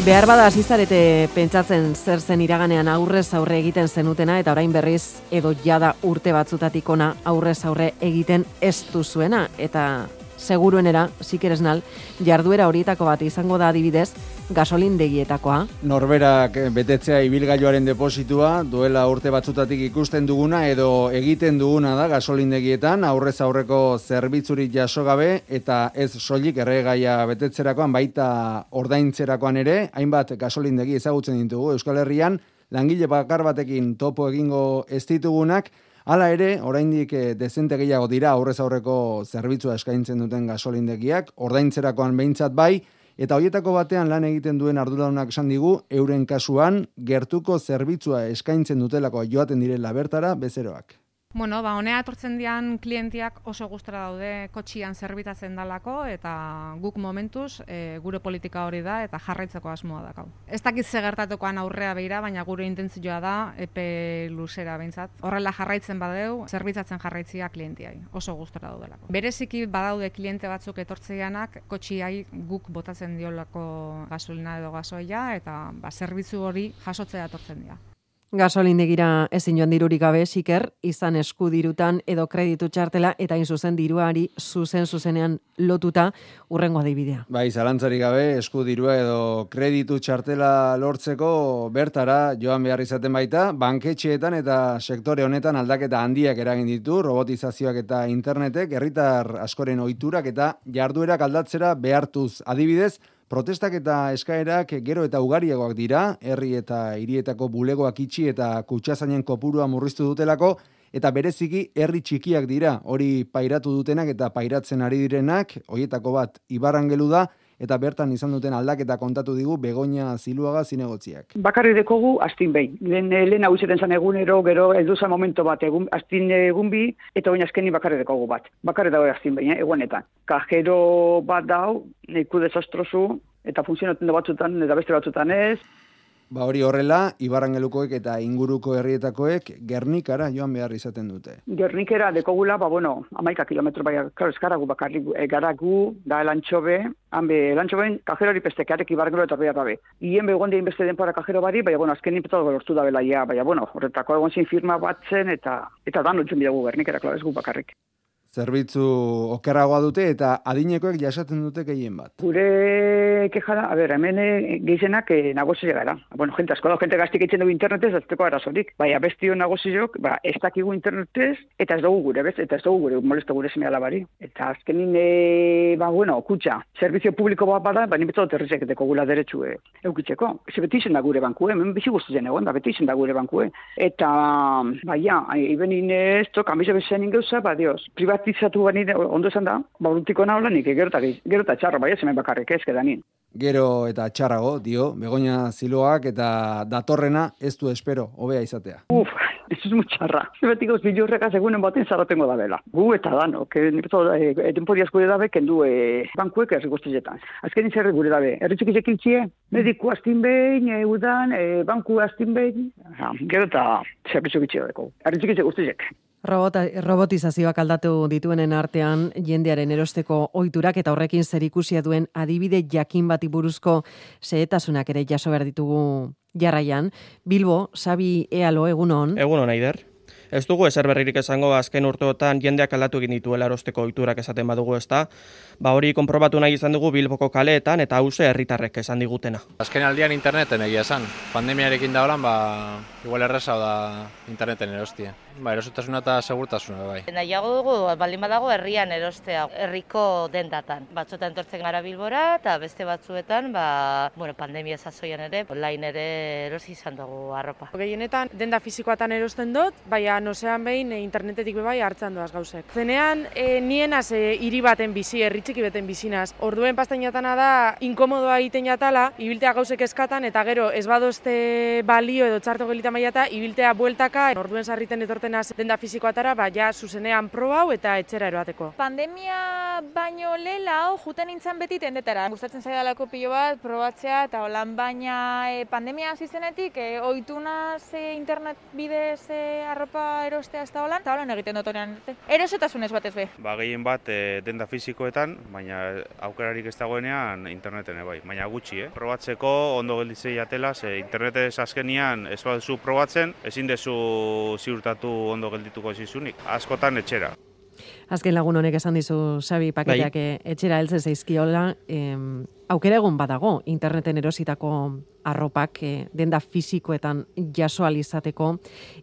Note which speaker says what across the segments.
Speaker 1: Behar bada hasi zarete pentsatzen zer zen iraganean aurrez aurre egiten zenutena eta orain berriz edo jada urte batzutatik ona aurrez aurre egiten ez duzuena eta seguruenera, sikeresnal, jarduera horietako bat izango da adibidez gasolindegietakoa.
Speaker 2: Norberak betetzea ibilgailuaren depositua duela urte batzutatik ikusten duguna edo egiten duguna da gasolindegietan aurrez aurreko zerbitzurik jaso gabe eta ez soilik erregaia betetzerakoan baita ordaintzerakoan ere, hainbat gasolindegi ezagutzen ditugu Euskal Herrian, langile bakar batekin topo egingo ez ditugunak. Hala ere, oraindik dezente gehiago dira aurrez aurreko zerbitzua eskaintzen duten gasolindegiak, ordaintzerakoan behintzat bai, eta hoietako batean lan egiten duen arduradunak esan digu, euren kasuan gertuko zerbitzua eskaintzen dutelako joaten direla bertara bezeroak.
Speaker 3: Bueno, honea etortzen dian klientiak oso gustora daude kotxian zerbitatzen dalako eta guk momentuz gure politika hori da eta jarraitzeko asmoa dakau. Ez dakit ze gertatukoan aurrea begira, baina gure intentzioa da epe luzera behintzat. Horrela jarraitzen badeu, zerbitzatzen jarraitzia klientiai. Oso gustora daudelako. Bereziki badaude kliente batzuk etortzeianak kotxiai guk botatzen diolako gasolina edo gasoia eta zerbitzu hori jasotzea etortzen dira.
Speaker 1: Gasolindegira ezin joan dirurik gabe, siker, izan eskudirutan edo kreditu txartela eta zuzen diruari zuzenean lotuta urrengo adibidea.
Speaker 2: Bai, zalantzarik gabe, eskudirua edo kreditu txartela lortzeko bertara joan behar izaten baita, banketxeetan eta sektore honetan aldaketa handiak eragin ditu, robotizazioak eta internetek, herritar askoren ohiturak eta jarduerak aldatzera behartuz adibidez, protestak eta eskaerak gero eta ugariagoak dira, herri eta hirietako bulegoak itxi eta kutxazainen kopurua murriztu dutelako, eta bereziki herri txikiak dira, hori pairatu dutenak eta pairatzen ari direnak, horietako bat Ibarrangelu da, eta bertan izan duten aldaketa kontatu digu Begoña Ziluaga zinegotziak.
Speaker 4: Bakarri dekogu astin behin. Lehen hau izaten zan egunero, gero edu zan momento bat, astin egun bi, eta oin azkeni bakarri dekogu bat. Bakarri dago astin behin, egunetan. Kajero bat dau, neiku desastrosu, eta funtzionatzen da batzutan, eta beste batzutan ez.
Speaker 2: Ba hori horrela, Ibarrangelukoek eta inguruko herrietakoek Gernikara joan behar izaten dute.
Speaker 4: Gernikera dekogula, 11 kilometro bai, eskaragu bakarrik garagu, da elantxobe, elantxoben kajerori pestekearek Ibarrangelu eta behar dabe. Hien begon dien beste denpora kajero bari, baina azkenin petatu lortu da belaia, baina horretako egon zin firma batzen, eta dan lutzen bidagu Gernikera, ez gu bakarrik.
Speaker 2: Zerbitzu okerragoa dute eta adinekoek jasaten dute gehien bat.
Speaker 4: Gure kejara, hemen gehizenak negozio gara. Jente asko da, jente gaztik eitzen dugu internetez, ez teko arazorik. Baina bestio negoziok, ez dakigu internetez, eta ez dugu gure, eta ez dugu gure, molesto gure seme alabari. Eta azkenin, kutxa, servizio publiko bat bada, baina beto terrizek deko gula derechu eukitzeko. Ez beti izen da gure bankue, hemen bizi guztien egon da, beti izen da gure bankue. Eta, ibenin ez tok, amize bezen ingeuza, dios, privatizatu bani ondo esan da, urtiko nahola nik, gero eta txarro, bai ez hemen bakarrik ez kedanin.
Speaker 2: Gero eta txarrago, dio, Begoña Ziloak eta datorrena ez du espero, hobea izatea.
Speaker 4: Ez mutxarra. Zebetik gauz bilurreka segunen baten zaratengo da bela. Gu eta dano, denpodiaz gure dabe, kendu bankuek errigoztietan. Azken izerre gure dabe, erritxik izekiltzie, mediku astin behin, udan, banku astin behin, gero eta zerbitzu bitxio deko. Erritxik izek
Speaker 1: Robotizazioak aldatu dituenen artean jendearen erosteko ohiturak eta horrekin zerikusia duen adibide jakin bati buruzko xehetasunak ere jaso behar ditugu jarraian. Bilbo, Xabi Ealo, egunon.
Speaker 5: Egunon, Aider. Ez dugu ezer berririk esango azken urteotan jendeak aldatu egin dituela erosteko ohiturak esaten badugu ezta. Hori konprobatu nahi izan dugu Bilboko kaleetan eta hauze herritarrek esan digutena.
Speaker 6: Azken aldian interneten egia esan. Pandemiarekin da holan, igual errezau da interneten erostia. Erosotasuna eta segurtasuna bai.
Speaker 7: Nahiago dugu, baldin badago herrian erostea, herriko dendatan. Batzuetan entortzen gara Bilbora eta beste batzuetan, pandemia zazoian ere, online ere erosi izan dugu arropa.
Speaker 8: Gehienetan denda fisikoatan erosten dut, baina nozean behin internetetik bebai hartzen doaz gauzek. Zenean, nienaz hiri baten bizi, herritxiki beten bizinaz. Orduen pastainatana da, inkomodoa egiten jatala, ibiltea gauzek eskatan, eta gero ez badozte balio edo txarto gelita maiata, ibiltea bueltaka, orduen sarriten etortzen irtenaz denda fisikoatara, ja zuzenean proba hau eta etxera eroateko.
Speaker 9: Pandemia baino lehela juten nintzen beti tendetara. Gustatzen zaidalako pilo bat probatzea eta holan, baina pandemia hasi zenetik ohitu naz internet bidez arropa erostea ez da holan, eta holan egiten dut honean. Erosotasunez batez be.
Speaker 10: Gehien bat denda fisikoetan, baina aukerarik ez dagoenean interneten bai, baina gutxi, Probatzeko ondo gelditzei atela, internetez azkenian ez baduzu probatzen, ezin dezu ziurtatu ondo geldituko zizunik, askotan etxera.
Speaker 1: Azken lagun honek esan dizu, Xabi, paketeak etxera heltzen zaizkiola, aukera egon badago interneten erositako arropak denda fisikoetan jaso alizateko,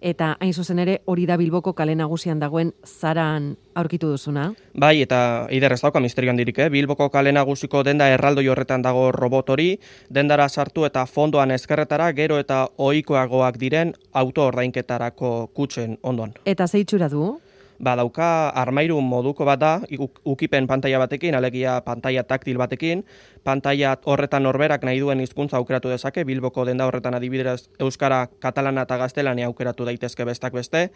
Speaker 1: eta hain zuzen ere hori da Bilboko kale nagusian dagoen Zaran aurkitu duzuna.
Speaker 5: Bai, eta eider ez dauka misterio handirik, Bilboko kale nagusiko denda erraldoi horretan dago robot hori, dendara sartu eta fondoan ezkerretara gero eta ohikoagoak diren auto ordainketarako kutxen ondoan.
Speaker 1: Eta zeitxura du?
Speaker 5: Dauka armairu moduko bat da, ukipen pantaila batekin, alegia pantaila taktil batekin, pantaila horretan norberak nahi duen hizkuntza aukeratu dezake, Bilboko denda horretan adibidez euskara, katalana eta gaztelania aukeratu daitezke bestak beste,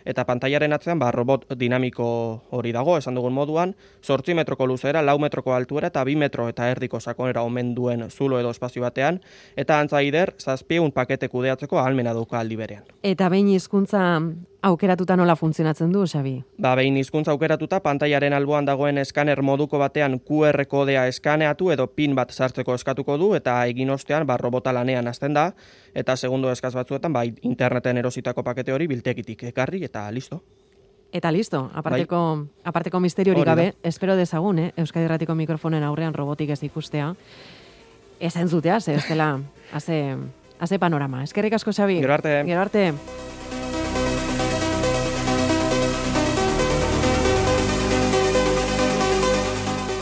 Speaker 5: eta pantailaren atzean robot dinamiko hori dago, esan dugun moduan, 8 metroko luzera, 4 metroko altuera eta 2 metro eta erdiko sakonera omen duen zulo edo espazio batean, eta antza eider, 700 pakete kudeatzeko ahalmena dauka aldi berean.
Speaker 1: Eta behin hizkuntza aukeratuta nola funtzionatzen du, Xabi?
Speaker 5: Behin hizkuntza aukeratuta, pantailaren alboan dagoen eskaner moduko batean QR kodea eskaneatu edo pin bat sartzeko eskatuko du, eta egin ostean robota lanean hasten da, eta segundo eskaz batzuetan interneten erositako pakete hori biltegitik ekarri, eta listo.
Speaker 1: Eta listo, aparteko misterio hori gabe, espero dezagun, Euskadi Irratiko mikrofonen aurrean robotik ez ikustea, ez entzutea, ez dela, haze panorama. Eskerrik asko, Xabi.
Speaker 5: Gero arte.
Speaker 1: Gero arte.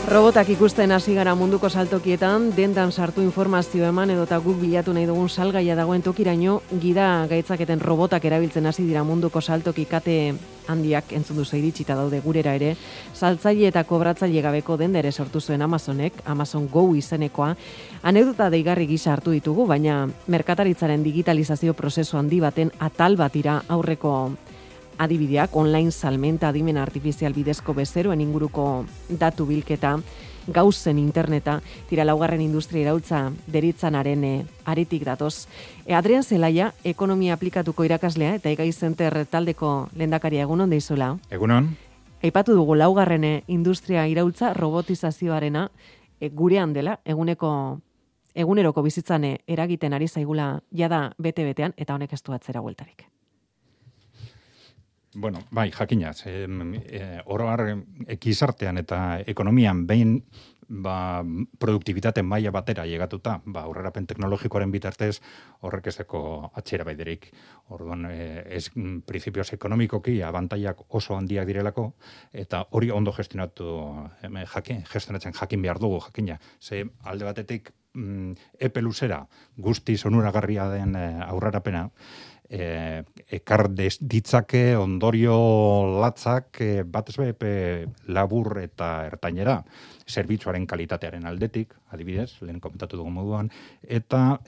Speaker 1: Robotak ikusten hasi gara munduko saltokietan, dendan sartu informazio eman edota guk bilatu nahi dugun salgaia dagoen tokiraino, gida gaitzaketen robotak erabiltzen hasi dira munduko saltoki kate handiak entzun duzu iritsita daude gurera ere, saltzaile eta kobratzaile gabeko denda ere sortu zuen Amazonek, Amazon Go izenekoa, anekdota deigarri gisa hartu ditugu, baina merkataritzaren digitalizazio prozesu handi baten atal batira aurreko adibideak, online salmenta, adimen artifizial bidezko bezeroen inguruko datu bilketa, gauzen interneta, tira laugarren industria iraultza deritzanaren aretik datoz. Adrian Zelaia, ekonomia aplikatuko irakaslea eta Egai Center taldeko lehendakaria, egunon deizula.
Speaker 11: Egunon.
Speaker 1: Aipatu dugu laugarren industria iraultza robotizazioarena gurean dela, eguneroko bizitzan eragiten ari zaigula jada bete-betean, eta honek ez du atzera bueltarik.
Speaker 11: Bueno, bai, jakinaz, oro har gizartean eta ekonomian behin produktibitate maila batera llegatuta, aurrerapen teknologikoaren bitartez horrek ezeko atxera baiderik. Orduan, principios ekonomikoki abantailak oso handiak direlako, eta hori ondo gestionatzen jakin behar dugu, jakina. Ze alde batetik epe luzera guztiz onuragarria den aurrerapena, ekar ditzake ondorio latzak batez be labur eta ertainera, zerbitzuaren kalitatearen aldetik, adibidez, lehen komentatu dugu moduan, eta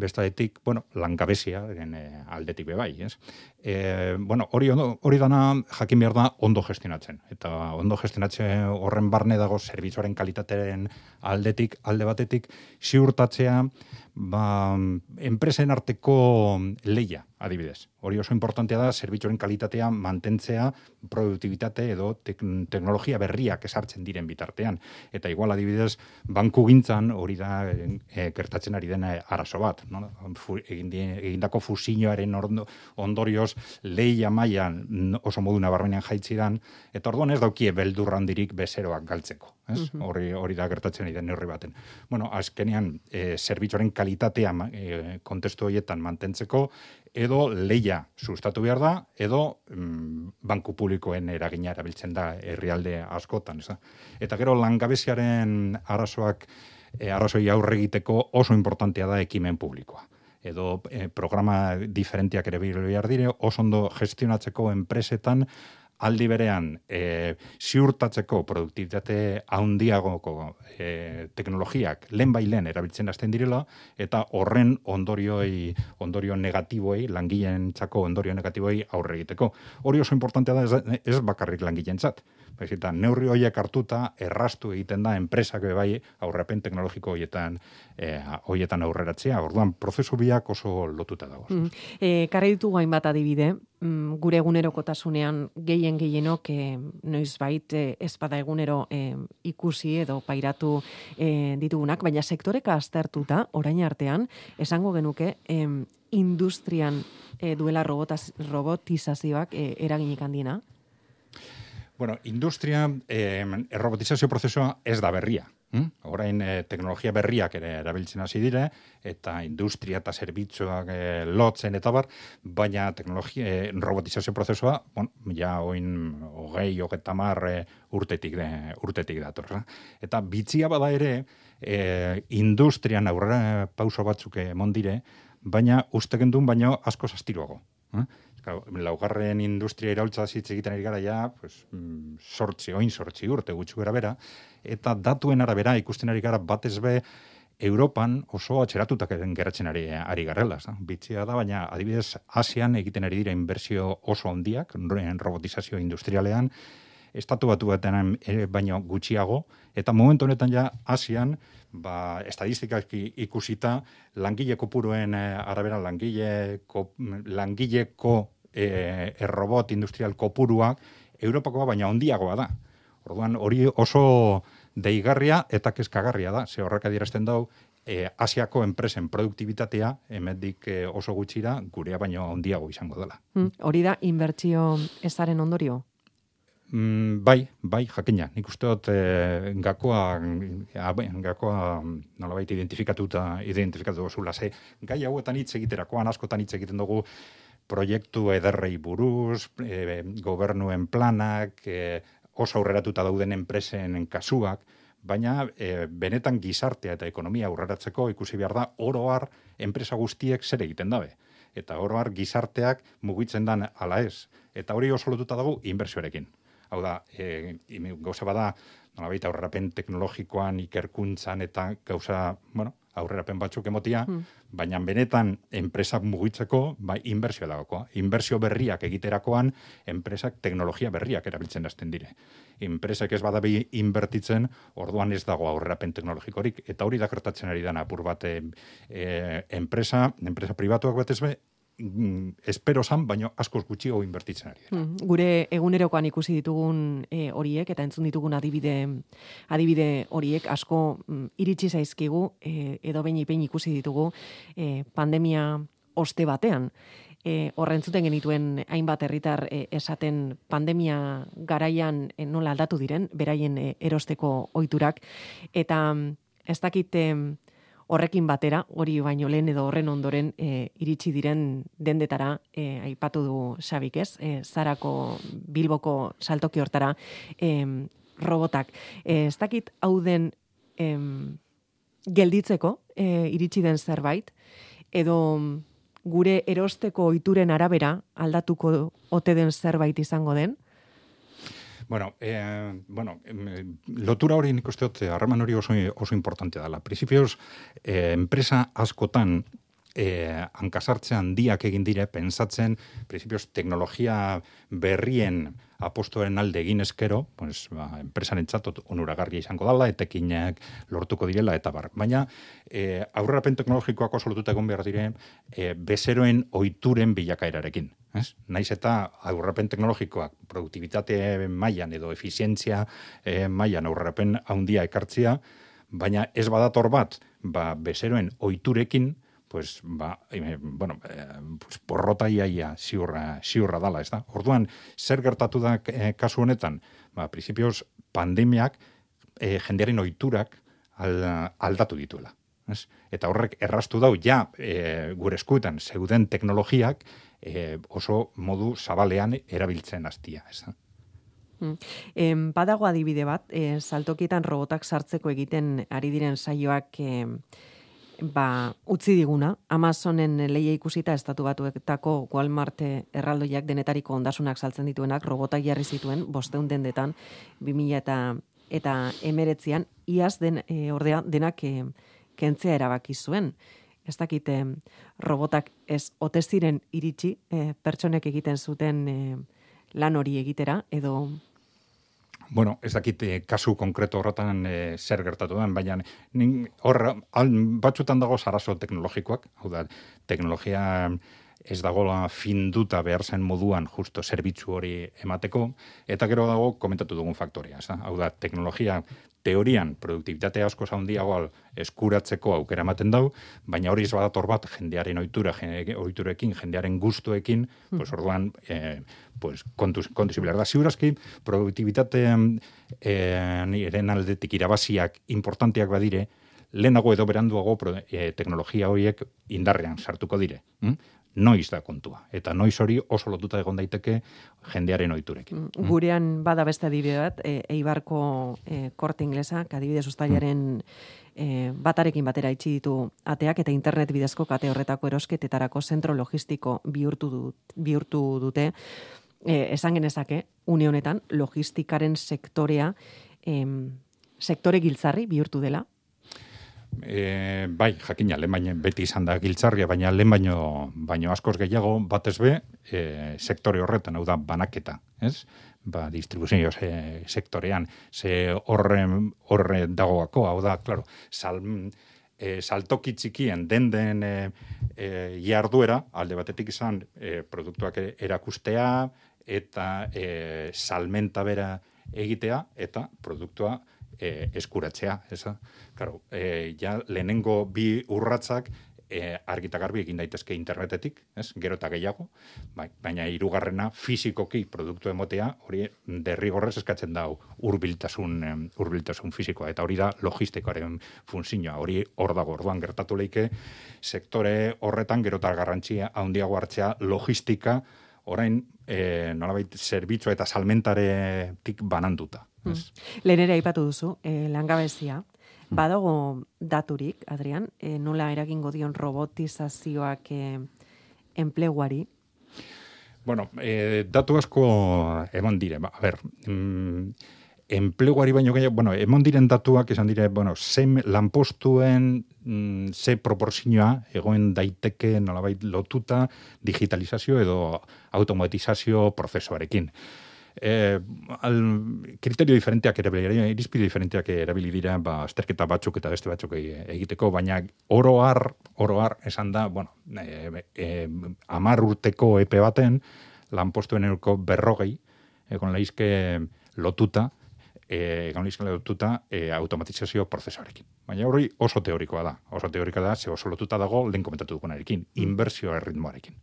Speaker 11: bestadetik, langabeziaren aldetik bebai, ez? Hori dana jakin behar da ondo gestionatzen, eta ondo gestionatzen horren barne dago zerbitzuaren kalitatearen aldetik, alde batetik, ziurtatzea, enpresen arteko leia, adibidez. Hori oso importantea da, zerbitzuaren kalitatea mantentzea, produktibitate edo teknologia berriak esartzen diren bitartean. Eta igual, adibidez, banku gintzan hori da gertatzen ari den arazo bat. Egindako fusioaren ondorioz leia mailan oso modu nabarmenean jaitzidan, eta orduan ez daukie beldur handirik bezeroak galtzeko. Hori da gertatzen ari den neurri baten. Azkenean, zerbitzuaren kalitatea kontestu horietan mantentzeko, edo leia sustatu behar da, edo banku publikoen eragina erabiltzen da herrialde askotan. Eta gero langabeziaren arrazoi aurre egiteko oso importantea da ekimen publikoa. Edo programa diferenteak ere behar dire, oso ondo gestionatzeko enpresetan aldi berean ziurtatzeko produktibitate handiagoko teknologiak lehen erabiltzen hasten direla, eta horren ondorio negatiboei, langileentzako ondorio negatiboei aurre egiteko. Hori oso importantea da ez bakarrik langileentzat. Eta neurri horiek hartuta erraztu egiten da enpresak bai aurrepen teknologiko horietan aurreratzea. Orduan, prozesu biak oso lotuta dago.
Speaker 1: Karri ditugu hainbat adibide, gure egunerokotasunean gehienok noizbait ezpada egunero ikusi edo pairatu ditugunak, baina sektoreka aztertuta, orain artean, esango genuke, industrian duela robotizazioak eraginik handiena?
Speaker 11: Bueno, industria, robotizazio prozesua ez da berria. Orain teknologia berriak ere erabiltzen hasi dire, eta industria eta zerbitzuak lotzen eta bar, baina robotizazio prozesua, ja oin 20-30 urtetik dator. Eta bitzia bada ere, industrian aurrera pauso batzuk emon dire, baina ustekendun baino asko zastiruago. Laugarren industria iraultza hitz egiten ari gara ja, sortzi urte gutxi gara bera, eta datuen arabera ikusten ari gara batez be Europan oso atxeratutak geratzen ari garrela. Bitzia da, baina adibidez Asian egiten ari dira inbertsio oso handiak, robotizazio industrialean, estatu batu batean baino gutxiago, eta momentu honetan ja Asian, estadistikak ikusita, langile kopuruen arabera langileko robot industrial kopuruak Europakoa baina handiagoa da. Orduan hori oso deigarria eta kezkagarria da, ze horrek adierazten dau Asiako enpresen produktibitatea hemendik oso gutxira gurea baino handiago izango dela.
Speaker 1: Hori da inbertsio ezaren ondorio?
Speaker 11: Bai, jakina. Nik uste dut gakoa nolabait identifikatu zula. Gai hauetan hitz egiterakoan, askotan hitz egiten dugu proiektu ederrei buruz, gobernuen planak, oso aurreratuta dauden enpresen kasuak, baina benetan gizartea eta ekonomia aurreratzeko ikusi behar da oro har enpresa guztiek zer egiten dabe. Eta oro har gizarteak mugitzen dan ala ez. Eta hori oso lotuta dago inbertsioarekin. Hau da, gauza bada, nolabait aurrerapen teknologikoan, ikerkuntzan eta gauza, aurrerapen batzuk emotia, baina benetan enpresak mugitzeko, inbertsioa dagokoa. Inbertsio berriak egiterakoan, enpresak teknologia berriak erabiltzen hasten dire. Enpresak ez badabi inbertitzen, orduan ez dago aurrerapen teknologikorik, eta hori da gertatzen ari dana apur bat enpresa pribatuak batez be, espero zan, baina askoz gutxiago inbertitzen ari dira.
Speaker 1: Gure egunerokoan ikusi ditugun horiek, eta entzun ditugun adibide horiek, asko iritsi zaizkigu, edo behin ikusi ditugu pandemia oste batean. Horrentzuten genituen hainbat herritar esaten pandemia garaian nola aldatu diren, beraien erosteko ohiturak, eta ez dakite horrekin batera, hori baino lehen edo horren ondoren iritsi diren dendetara, aipatu du Xabik, ez? Zarako Bilboko saltoki hortara robotak. Ez dakit hau den gelditzeko iritsi den zerbait, edo gure erosteko ohituren arabera aldatuko ote den zerbait izango den?
Speaker 11: Lotura hori nik uste dut, harreman hori oso importantea dela. Principios, enpresa askotan hankasartze handiak egin dire, pensatzen, principios, teknologia berrien apostoren alde egin eskero, enpresaren txatot onuragarria izango dela, etekinak lortuko direla, eta bar. Baina, aurrerapen teknologikoak oso lotuta egon behar dire, bezeroen ohituren bilakaerarekin. Naiz eta aurrerapen teknologikoak produktibitate mailan edo efizientzia mailan aurrerapen handia ekartzea, baina ez badator bat, bezeroen ohiturekin, porrota iaia ziurra dala, ez da? Orduan, zer gertatu da kasu honetan? Principios, pandemiak jendearen ohiturak aldatu dituela. Eta horrek erraztu dau, gure eskuetan zeuden teknologiak oso modu zabalean erabiltzen hastia, ez da?
Speaker 1: Badago adibide bat, saltokietan robotak sartzeko egiten ari diren saioak utzi diguna, Amazonen leia ikusita Estatu Batuetako Walmart erraldoiak denetariko ondasunak saltzen dituenak robotak jarri zituen 500 dendetan 2019an iaz ordea denak kentzea erabaki zuen. Ez dakite robotak ez ote ziren iritsi pertsonek egiten zuten lan hori egitera edo
Speaker 11: Bueno, ez dakit kasu konkreto horretan zer gertatu den, baina batzutan dago arazo teknologikoak, hau da, teknologia ez dagoela finduta behar zen moduan justo zerbitzu hori emateko, eta gero dago komentatu dugun faktoria, hau da, teknologia teorian produktibitate asko handiagoa eskuratzeko aukera ematen dau, baina hori ez badator bat jendearen ohiturekin, jendearen gustuekin, pues orduan kontuz ibilar da. Ziurazki, produktibitatean eren aldetik irabaziak importanteak badire, lehenago edo beranduago teknologia horiek indarrean sartuko dire. Noiz da kontua. Eta noiz hori oso lotuta egon daiteke jendearen ohiturekin.
Speaker 1: Gurean bada beste adibide bat, Eibarko Korte Inglesa, adibidez uztailaren batarekin batera itxi ditu ateak eta internet bidezko kate horretako erosketetarako zentro logistiko bihurtu dute. Esan genezake, une honetan, logistikaren sektorea sektore giltzarri bihurtu dela.
Speaker 11: Bai, jakina, lehen baino beti izan da giltzarria, baina lehen baino askoz gehiago batez be sektore horretan, hau da banaketa, ez? Distribuzio sektorean, ze horre dagoako, hau da, klaro, saltoki txikien den jarduera, alde batetik izan produktuak erakustea eta salmenta bera egitea eta produktua eskuratzea, eza? Claro, ja lehenengo bi urratsak argita garbi egin daitezke internetetik, ez? Gero eta gehiago, baina hirugarrena fisikoki produktu emotea, hori derrigorrez eskatzen da hurbiltasun fisikoa, eta hori da logistikoaren funtzioa, hori hor dago, orduan gertatu leike sektore horretan gero eta garrantzia handiago hartzea logistika, orain nolabait zerbitzua eta salmentaretik bananduta.
Speaker 1: Lehen ere aipatu duzu, langabezia. Badago daturik, Adrian, nola eragingo dion robotizazioak enpleguari?
Speaker 11: Bueno, datu asko eman dire. A ber, enpleguari baino gehiago, bueno, emon diren datuak esan dire, bueno, lanpostuen ze proporzioa egoen daiteke nolabait lotuta digitalizazio edo automatizazio prozesuarekin. Kriterio diferenteak irizpide diferenteak erabili dira, azterketa batzuk eta beste batzuk egiteko, baina oro har esan da, bueno, 10 urteko epe baten lanpostuen euroko 40 egon laizke lotuta automatizazio prozesuarekin. Baina hori oso teorikoa da, ze oso lotuta dago lehen komentatu dugunarekin, inbertsio erritmoarekin.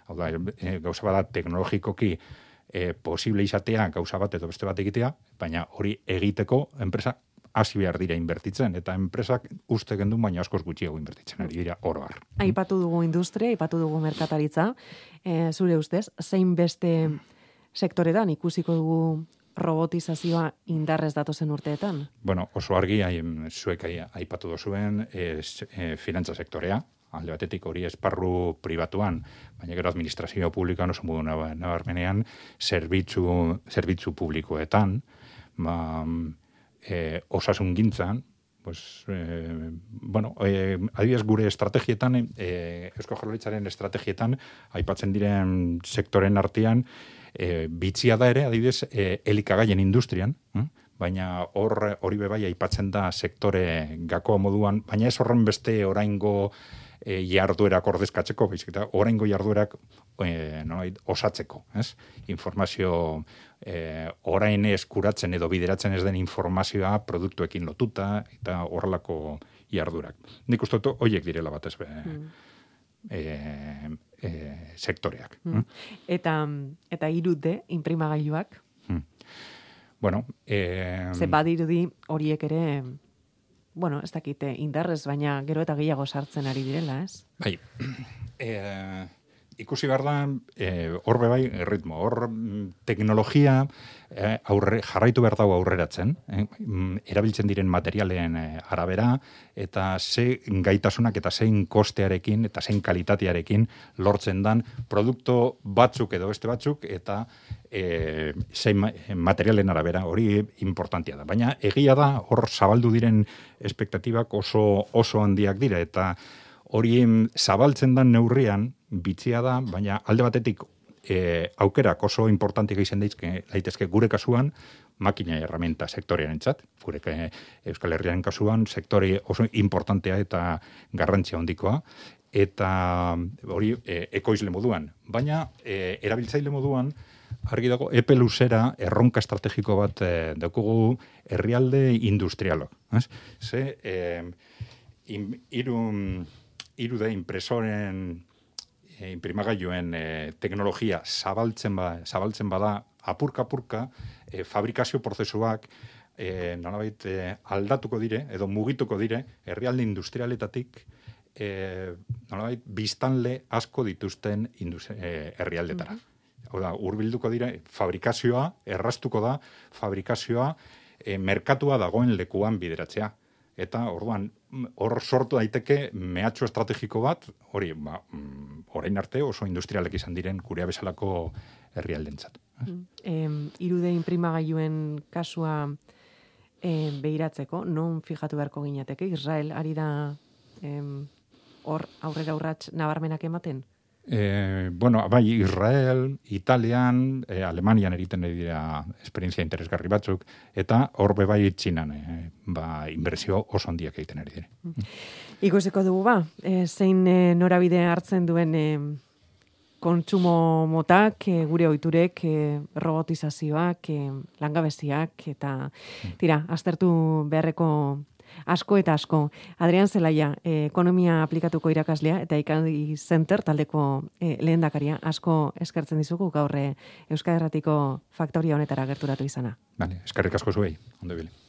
Speaker 11: Hau da, gauza bada teknologikoki posible izatea gauza bat edo beste bat egitea, baina hori egiteko enpresa hasi behar dira inbertitzen, eta enpresak uste gendun baina askoz gutxiago inbertitzen ari dira oro har.
Speaker 1: Aipatu dugu industria, aipatu dugu merkataritza, zure ustez, zein beste sektoretan ikusiko dugu robotizazioa indarrez datozen urteetan?
Speaker 11: Bueno, oso argi, zuek aipatu duzuen finantza sektorea, alde batetik hori esparru pribatuan, baina gero administrazio publikoan oso modu nabarmenean zerbitzu publikoetan, osasun gintzan, adibidez gure estrategietan, Eusko Jaurlaritzaren estrategietan, aipatzen diren sektoren artean, bitxia da ere, adibidez, elikagaien industrian, baina hori bebai aipatzen da sektore gakoa moduan, baina ez horren beste oraingo jarduerak ordezkatzeko, baizik eta oraingo jarduerak osatzeko, ez? Informazio orain eskuratzen edo bideratzen ez den informazioa produktuekin lotuta eta horrelako jarduerak. Nik uste dut horiek direla batez sektoreak.
Speaker 1: Eta 3D inprimagailuak?
Speaker 11: Bueno,
Speaker 1: ze badirudi horiek ere, bueno, ez dakite indarrez, baina gero eta gehiago sartzen ari direla, ez?
Speaker 11: Bai, ikusi behar da, hor bebai ritmo, hor teknologia jarraitu behar dago aurreratzen, erabiltzen diren materialen arabera, eta ze gaitasunak eta zein kostearekin eta zein kalitatearekin lortzen dan produktu batzuk edo beste batzuk, eta zein materialen arabera, hori importantia da. Baina egia da, hor zabaldu diren espektatibak oso handiak dira, eta hori zabaltzen dan neurrian, bitzia da, baina alde batetik aukerak oso importantik izan daitezke gure kasuan, makina herramienta sektorearentzat, gure Euskal Herriaren kasuan, sektore oso importantea eta garrantzia handikoa, eta hori ekoizle moduan. Baina erabiltzaile moduan, argi dago, epe luzera erronka estrategiko bat daukugu herrialde industrialok. Ze, irude impresoren imprimagailuen teknologia zabaltzen bada apurka-apurka, fabrikazio prozesuak nolabait aldatuko dire, edo mugituko dire, herrialde industrialetatik nolabait biztanle asko dituzten herrialdetara. Hau da, hurbilduko dire, fabrikazioa, erraztuko da, fabrikazioa merkatua dagoen lekuan bideratzea. Eta orduan, hor sortu daiteke mehatxu estrategiko bat, hori, orain arte oso industrialek izan diren gurea bezalako herrialdentzat.
Speaker 1: Irude inprimagailuen kasua behiratzeko, non fijatu beharko ginateke? Israel ari da hor aurrera urrats nabarmenak ematen?
Speaker 11: Bai, Israel, Italian, Alemanian egiten dira esperientzia interesgarri batzuk, eta hor bai Txinan inbertsio oso handiak egiten ari dire.
Speaker 1: Ikusiko dugu zein norabide hartzen duen kontsumo motak, gure ohiturek, robotizazioak, langabeziak, eta aztertu beharreko asko eta asko. Adrian Zelaia, ekonomia aplikatuko irakaslea eta ICANN Center taldeko lehendakaria, asko eskertzen dizugu gaur Euskadi Irratiko faktoria honetara gerturatu izana.
Speaker 11: Eskerrik asko zuei, ondo ibili.